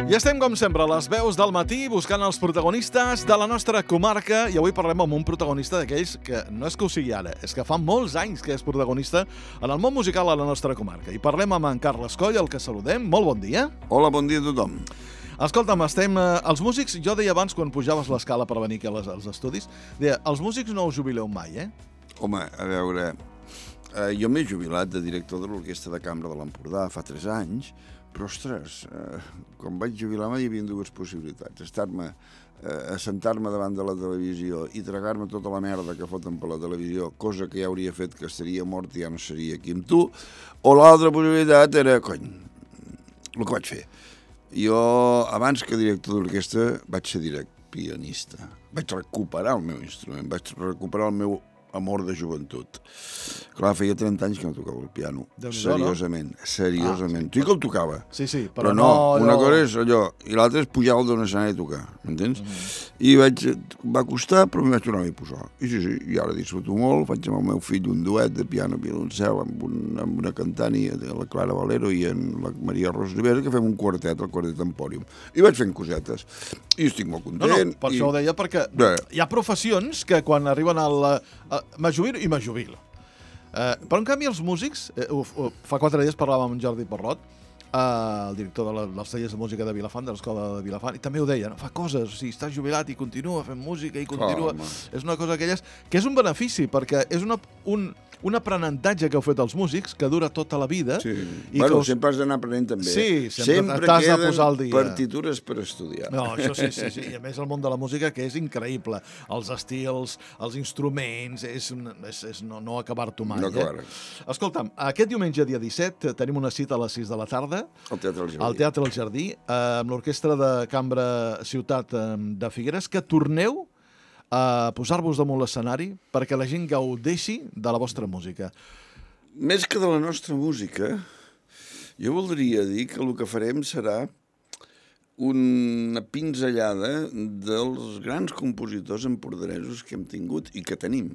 I estem, com sempre, a les veus del matí buscant els protagonistes de la nostra comarca i avui parlem amb un protagonista d'aquells que no és que ho sigui ara, és que fa molts anys que és protagonista en el món musical a la nostra comarca. I parlem amb en Carles Coll, el que saludem. Molt bon dia. Hola, bon dia a tothom. Escolta'm, estem... els músics, jo deia abans, quan pujaves l'escala per venir aquí als estudis, deia, els músics no us jubileu mai, eh? Home, a veure, jo m'he jubilat de director de l'Orquestra de Cambra de l'Empordà fa 3 anys, però, ostres, quan vaig jubilar-me hi havia dues possibilitats. Assentar-me davant de la televisió i tragar-me tota la merda que foten per la televisió, cosa que ja hauria fet que estaria mort i ja no seria aquí amb tu, o l'altra possibilitat era, cony, el que vaig fer. Jo, abans que director d'orquestra, vaig ser pianista. Vaig recuperar el meu instrument, vaig recuperar el meu amor de joventut. Clar, feia 30 anys que no tocava el piano. Seriosament, seriosament. Tu sí que el tocava. Sí, però no, una cosa és allò, i l'altra és pujar al d'un escenari a tocar, m'entens? I va costar, però m'hi vaig tornar a posar. I sí, i ara disfruto molt, faig amb el meu fill un duet de piano violoncel amb una cantant, la Clara Valero i en la Maria Ros Rivera, que fem un quartet, el Quartet Empòrium. I vaig fent cosetes. I estic molt content. No, per això ho deia, perquè hi ha professions que quan arriben al... m'ajubilo i m'ajubilo. Però, en canvi, els músics... fa 4 dies parlàvem amb Jordi Porrot, el director dels tallers de música de Vilafant, de l'Escola de Vilafant, i també ho deia, no? Fa coses, o sigui, està jubilat i continua fent música i continua... És una cosa d'aquelles que és un benefici, perquè és un aprenentatge que heu fet els músics, que dura tota la vida. Sí. Bueno, sempre has d'anar aprenent també. Sí, sempre t'has de posar al dia. Partitures per estudiar. No, això sí. I a més el món de la música, que és increïble. Els estils, els instruments, és no acabar-t'ho mai. No acabar. Escolta'm, aquest diumenge, dia 17, tenim una cita a les 6 de la tarda. Al Teatre del Jardí. Al Teatre del Jardí, amb l'Orquestra de Cambra Ciutat de Figueres, que torneu a posar-vos damunt l'escenari perquè la gent gaudeixi de la vostra música. Més que de la nostra música, jo voldria dir que el que farem serà una pinzellada dels grans compositors empordanesos que hem tingut i que tenim.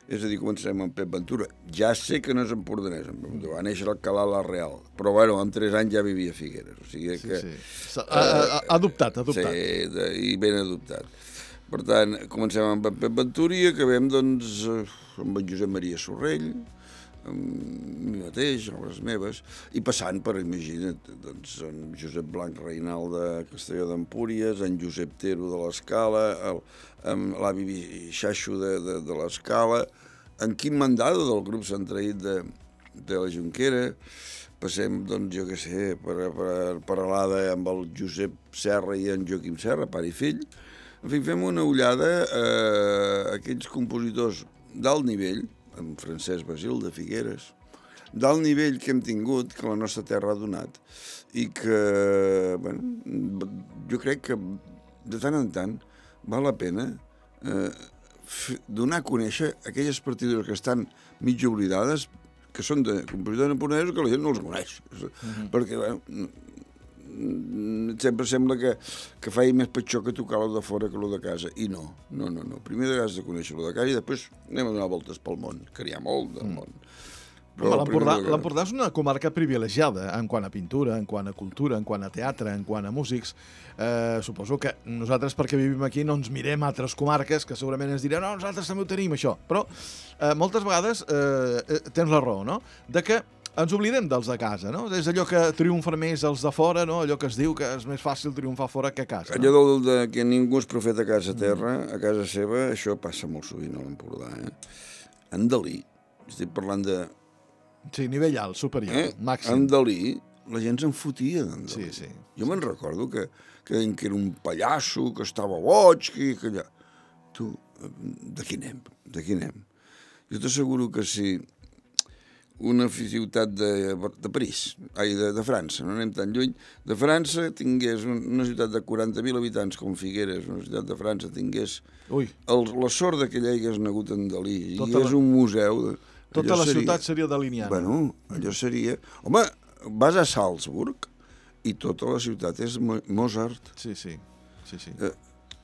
És a dir, començarem amb Pep Ventura. Ja sé que no és empordanès, va néixer al Alcalá la Real, però bueno, amb 3 anys ja vivia a Figueres. O sigui que... Sí. Adoptat. Sí, i ben adoptat. Per tant, comencem amb Pep Ventura i acabem, doncs, amb en Josep Maria Sorrell, amb mi mateix, obres meves, i passant per, imagina't, doncs, en Josep Blanc Reinal de Castelló d'Empúries, en Josep Tero de l'Escala, amb l'avi Xaixo de l'Escala, en Quim Mandado del grup Centraït de la Jonquera, passem, doncs, jo què sé, per Alada amb el Josep Serra i en Joaquim Serra, pare i fill. En fi, fem una ullada a aquells compositors d'alt nivell, en Francesc Basil de Figueres, d'alt nivell que hem tingut, que la nostra terra ha donat, i que, bueno, jo crec que de tant en tant val la pena donar a conèixer aquelles partitures que estan mig oblidades, que són de compositors empordanesos que la gent no els coneix. Perquè, bueno, sempre sembla que faci més petxó que tocar lo de fora que lo de casa, i no. Primer has de conèixer lo de casa i després anem a donar voltes pel món, que n'hi ha molt del món. L'Empordà és una comarca privilegiada en quant a pintura, en quant a cultura, en quant a teatre, en quant a músics. Suposo que nosaltres, perquè vivim aquí, no ens mirem a altres comarques que segurament ens diran no, nosaltres també ho tenim, això. Però moltes vegades tens la raó, no?, de que ens oblidem dels de casa, no? És allò que triomfen més els de fora, no? Allò que es diu que és més fàcil triomfar fora que a casa. Allò de que ningú és profeta a casa terra, a casa seva, això passa molt sovint a l'Empordà, En Dalí, estic parlant de... Sí, nivell alt, superior, màxim. En Dalí, la gent se'n fotia d'en Dalí. Sí. Jo me'n recordo que era un pallasso, que estava boig, que allà... Tu, de qui anem? Jo t'asseguro que si una ciutat de París, de França, no anem tan lluny, de França tingués una ciutat de 40.000 habitants com Figueres, una ciutat de França tingués la sort que hi hagués nagut en Dalí, i és un museu... Tota la ciutat seria daliniana. Bueno, allò seria... Home, vas a Salzburg i tota la ciutat és Mozart. Sí.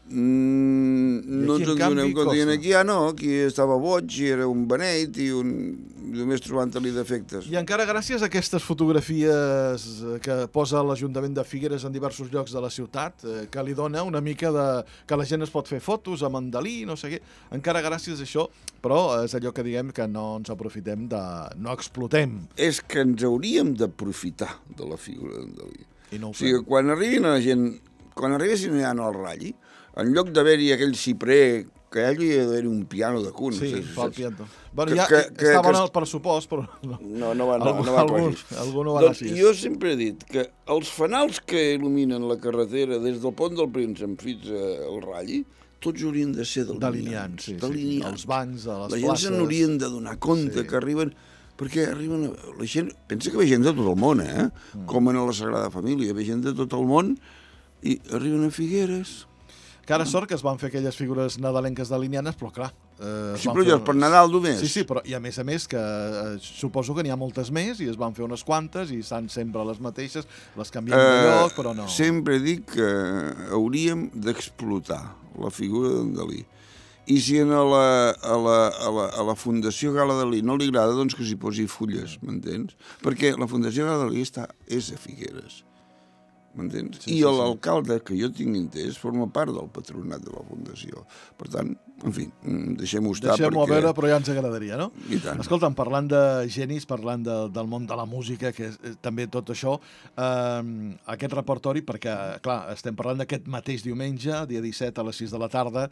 No ens en donem compte. I aquí no, aquí estava boig i era un beneit i només trobant-li defectes. I encara gràcies a aquestes fotografies que posa l'Ajuntament de Figueres en diversos llocs de la ciutat, que li dona una mica de... que la gent es pot fer fotos amb en Dalí, no sé què, encara gràcies a això, però és allò que diguem que no ens aprofitem no explotem. És que ens hauríem d'aprofitar de la figura d'en Dalí. I no ho o sigui, quan arribin la gent, quan arribessin ja al Ralli, en lloc d'haver-hi aquell ciprer, que allà hi ha d'haver-hi un piano de cun. Sí, fa el piano. Bueno, ja estava en el pressupost, però... No va quasi. Algú no va anar així. Jo sempre he dit que els fanals que il·luminen la carretera des del Pont del Príncep fins al Ralli, tots haurien de ser delineants. Els bancs, a les places... La gent se n'haurien de donar compte que arriben... Perquè arriben... La gent... Pensa que ve gent de tot el món, com en la Sagrada Família. Ve gent de tot el món i arriben a Figueres... Que ara sort que es van fer aquelles figures nadalenques delineanes, però clar... Sí, però ja és per Nadal només. Sí, però i a més que suposo que n'hi ha moltes més i es van fer unes quantes i estan sempre les mateixes, les canviem de lloc, però no. Sempre dic que hauríem d'explotar la figura d'en Dalí. I si a la Fundació Gala Dalí no li agrada, doncs que s'hi posi fulles, m'entens? Perquè la Fundació Gala Dalí és a Figueres. M'entens? I l'alcalde, que jo tinc entès, forma part del patronat de la Fundació. Per tant, en fi, deixem-ho estar. Deixem-ho a veure, però ja ens agradaria, no? I tant. Escolta'm, parlant de genis, parlant del món de la música, que és també tot això, aquest repertori, perquè, clar, estem parlant d'aquest mateix diumenge, dia 17 a les 6 de la tarda,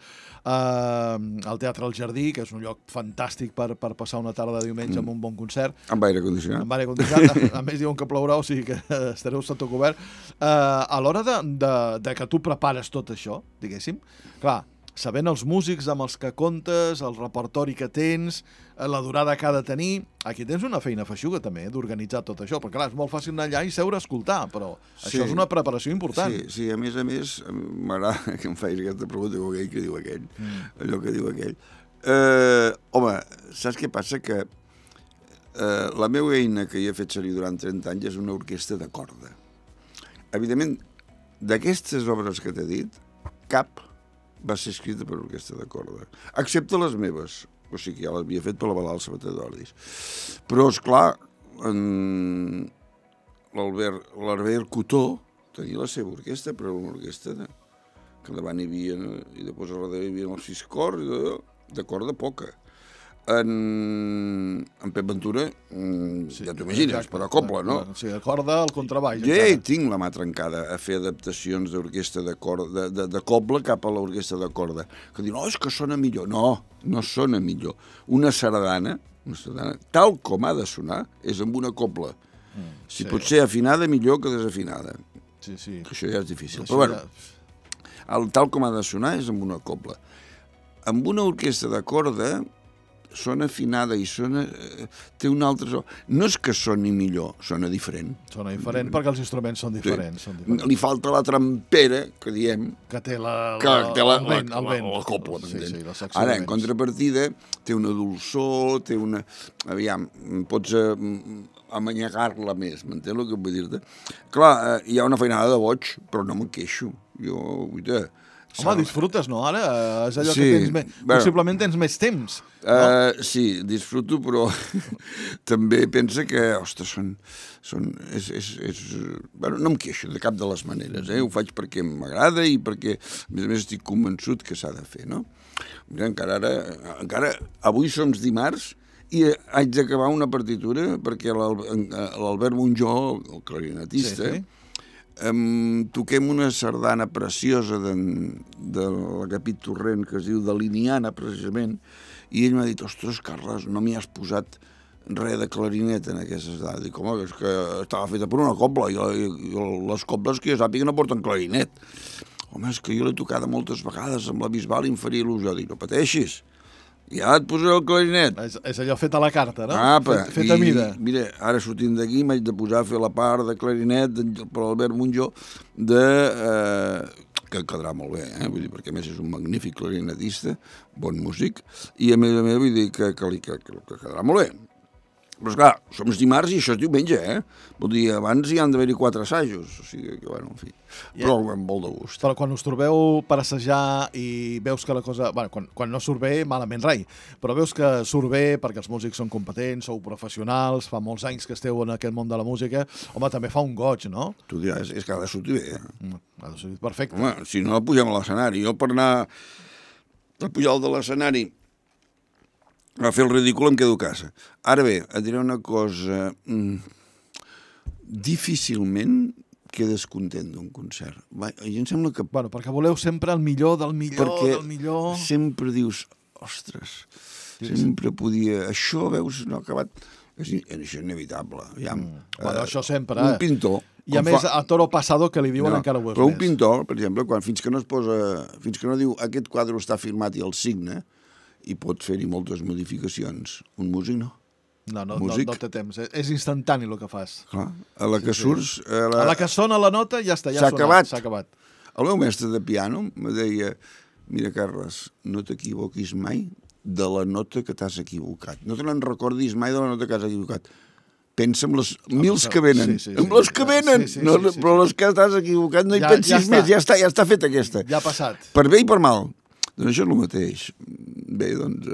al Teatre El Jardí, que és un lloc fantàstic per passar una tarda de diumenge amb un bon concert. Amb aire condicionat. Amb aire condicionat. A més, diuen que plourà, o sigui que estareu sota cobert. A l'hora de que tu prepares tot això, diguéssim, clar, sabent els músics amb els que comptes, el repertori que tens, la durada que ha de tenir, aquí tens una feina feixuga també, d'organitzar tot això, perquè clar, és molt fàcil anar allà i seure a escoltar, però això és una preparació important. Sí, a més, m'agrada que em facis aquesta pregunta com aquell que diu aquell, allò que diu aquell. Home, saps què passa? Que la meva eina que hi he fet servir durant 30 anys és una orquestra de corda. Evidentment, d'aquestes obres que t'he dit, cap va ser escrita per orquestra de corda, excepte les meves, o sigui, ja l'havia fet per la Balal Sabater d'Ordis. Però, esclar, l'Albert Cotó tenia la seva orquestra, però una orquestra que davant hi havia, i després a darrere hi havia els 6 cors, de corda poca. En Pep Ventura, ja t'ho imagines, per a cobla, no? Sí, a corda, al contrabaix. Jo ja tinc la mà trencada a fer adaptacions d'orquestra de corda, de cobla cap a l'orquestra de corda. Que diuen, és que sona millor. No sona millor. Una sardana, tal com ha de sonar, és amb una cobla. Si pot ser afinada, millor que desafinada. Sí. Això ja és difícil. Però bueno, tal com ha de sonar és amb una cobla. Amb una orquestra de corda sona afinada i té un altre so. No és que soni millor, sona diferent. Sona diferent perquè els instruments són diferents. Li falta la trampera, que diem, que té la cobla. Sí, ara, en contrapartida, té una dolçor, té una... Aviam, pots amanyagar-la més, m'entens el que vull dir-te? Clar, hi ha una feinada de boig, però no me'n queixo. Home, disfrutes, no? Ara és allò que tens més... Possiblement tens més temps. Sí, disfruto, però també pensa que, ostres, no em queixo de cap de les maneres, ho faig perquè m'agrada i perquè, a més estic convençut que s'ha de fer, no? Encara avui som dimarts i haig d'acabar una partitura perquè l'Albert Monjó, el clarinetista, toquem una sardana preciosa de l'Agapit Torrent que es diu Daliniana, precisament, i ell m'ha dit, ostres, Carles, no m'hi has posat res de clarinet en aquestes dades. Dic, home, és que estava feta per una cobla, i les cobles que jo sàpiga no porten clarinet. Home, és que jo l'he tocada moltes vegades amb la Bisbal i em faria il·lusió. Dic, no pateixis, ja et posaré el clarinet. És allò fet a la carta, no? Fet a mida. Mira, ara sortint d'aquí m'haig de posar a fer la part de clarinet per Albert Monjó que quedarà molt bé, vull dir, perquè a més és un magnífic clarinetista, bon músic, i a més vull dir que quedarà molt bé. Però, esclar, som dimarts i això és diumenge, Vull dir, abans hi han d'haver-hi 4 assajos, o sigui que, bueno, en fi. Però amb molt de gust. Però quan us trobeu per assajar i veus que la cosa... Bueno, quan no surt bé, malament rai, però veus que surt bé perquè els músics són competents, sou professionals, fa molts anys que esteu en aquest món de la música, home, també fa un goig, no? Tu diràs, és que ha de sortir bé, Ha de sortir perfecte. Home, si no, pugem a l'escenari. Jo per anar a pujar de l'escenari a fer el ridícul em quedo a casa. Ara bé, et diré una cosa... Difícilment quedes content d'un concert. I em sembla que... Bueno, perquè voleu sempre el millor del millor del millor... Perquè sempre dius, ostres, sempre podia... Això, veus, no ha acabat... Això és inevitable. Bueno, això sempre, Un pintor... I a més, a toro passado, que li diuen encara ho és però més. un pintor, per exemple, fins que no es posa... Fins que no diu aquest quadre està firmat i el signa, i pot fer-hi moltes modificacions. Un músic no. No té temps. És instantani el que fas. Clar, a la que surts... A la que sona la nota ja està, ja s'ha acabat. El meu mestre de piano me deia, mira, Carles, no t'equivoquis mai de la nota que t'has equivocat. No te n'en recordis mai de la nota que has equivocat. Pensa en les mils que venen. En les que venen! Però les que t'has equivocat no hi pensis més. Ja està feta aquesta. Ja ha passat. Per bé i per mal. Doncs això és el mateix. Bé, doncs,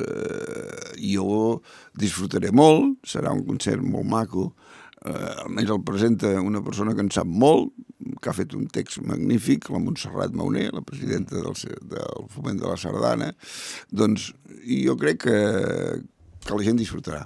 jo disfrutaré molt, serà un concert molt maco, almenys el presenta una persona que en sap molt, que ha fet un text magnífic, la Montserrat Mauner, la presidenta del Foment de la Sardana, doncs jo crec que la gent disfrutarà.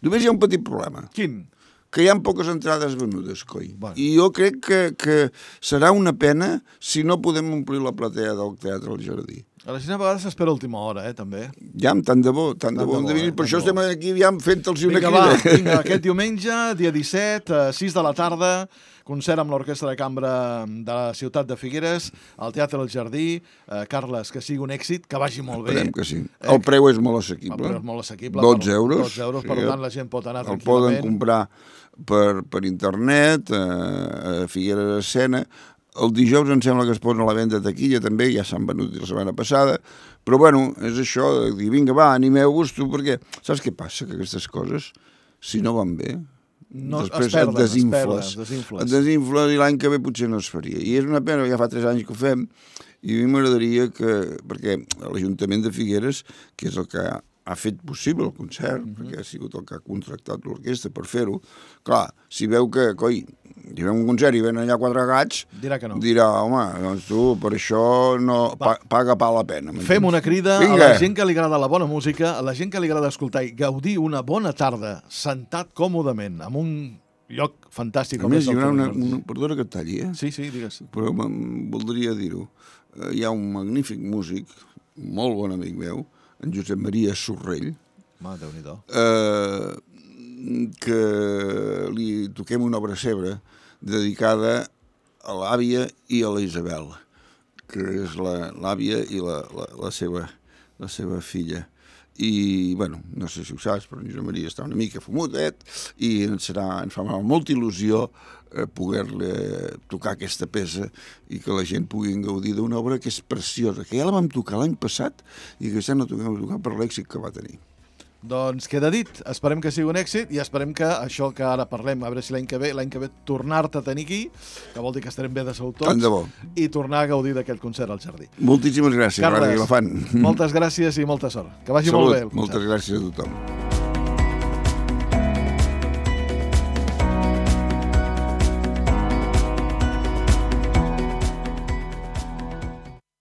Només hi ha un petit problema. Quin? Que hi ha poques entrades venudes, coi. Bueno. I jo crec que serà una pena si no podem omplir la platea del Teatre al Jardí. A la gent a vegades s'espera a última hora, també. Ja, tant de bo hem de venir. Per això estem aquí ja fent-los una crida. Vinga, aquest diumenge, dia 17, 6 de la tarda, concert amb l'Orquestra de Cambra de la ciutat de Figueres, al Teatre del Jardí. Carles, que sigui un èxit, que vagi molt bé. Esperem que sí. El preu és molt assequible. El preu és molt assequible. 12 euros. 12 euros, per tant la gent pot anar tranquil·lament. tranquil·lament. El poden comprar per internet, a Figueres Escena. El dijous em sembla que es posen a la venda de taquilla també, ja s'han venut la setmana passada, però bueno, és això de dir, vinga, va, animeu-vos tu, perquè saps què passa? Que aquestes coses, si no van bé, després et desinfles. Et desinfles i l'any que ve potser no es faria. I és una pena, ja fa 3 anys que ho fem, i a mi m'agradaria que, perquè l'Ajuntament de Figueres, que és el que ha fet possible el concert, perquè ha sigut el que ha contractat l'orquestra per fer-ho, clar, si veu que, coi, hi ha un concert i venen allà 4 gats, dirà que no. Dirà, home, doncs tu, per això no paga pa la pena. Fem una crida a la gent que li agrada la bona música, a la gent que li agrada escoltar i gaudir una bona tarda, sentat còmodament, en un lloc fantàstic. A més, hi haurà perdona que et talli, Sí, digues. Però voldria dir-ho. Hi ha un magnífic músic, molt bon amic meu, en Josep Maria Sorrell, Déu-n'hi-do, que li toquem una obra seva dedicada a l'àvia i a la Isabel, que és l'àvia i la seva filla. I, bueno, no sé si ho saps, però en Josep Maria està una mica fumutet i ens fa molta il·lusió poder-li tocar aquesta peça i que la gent pugui gaudir d'una obra que és preciosa, que ja la vam tocar l'any passat i que ja no toquem a tocar per l'èxit que va tenir. Doncs queda dit, esperem que sigui un èxit i esperem que això que ara parlem, a veure si l'any que ve tornar-te a tenir aquí, que vol dir que estarem bé de salut tots, tant de bo, i tornar a gaudir d'aquest concert al Jardí. Moltíssimes gràcies, Carles, Ràdio Vilafant. Moltes gràcies i molta sort. Que vagi molt bé el concert. Moltes gràcies a tothom.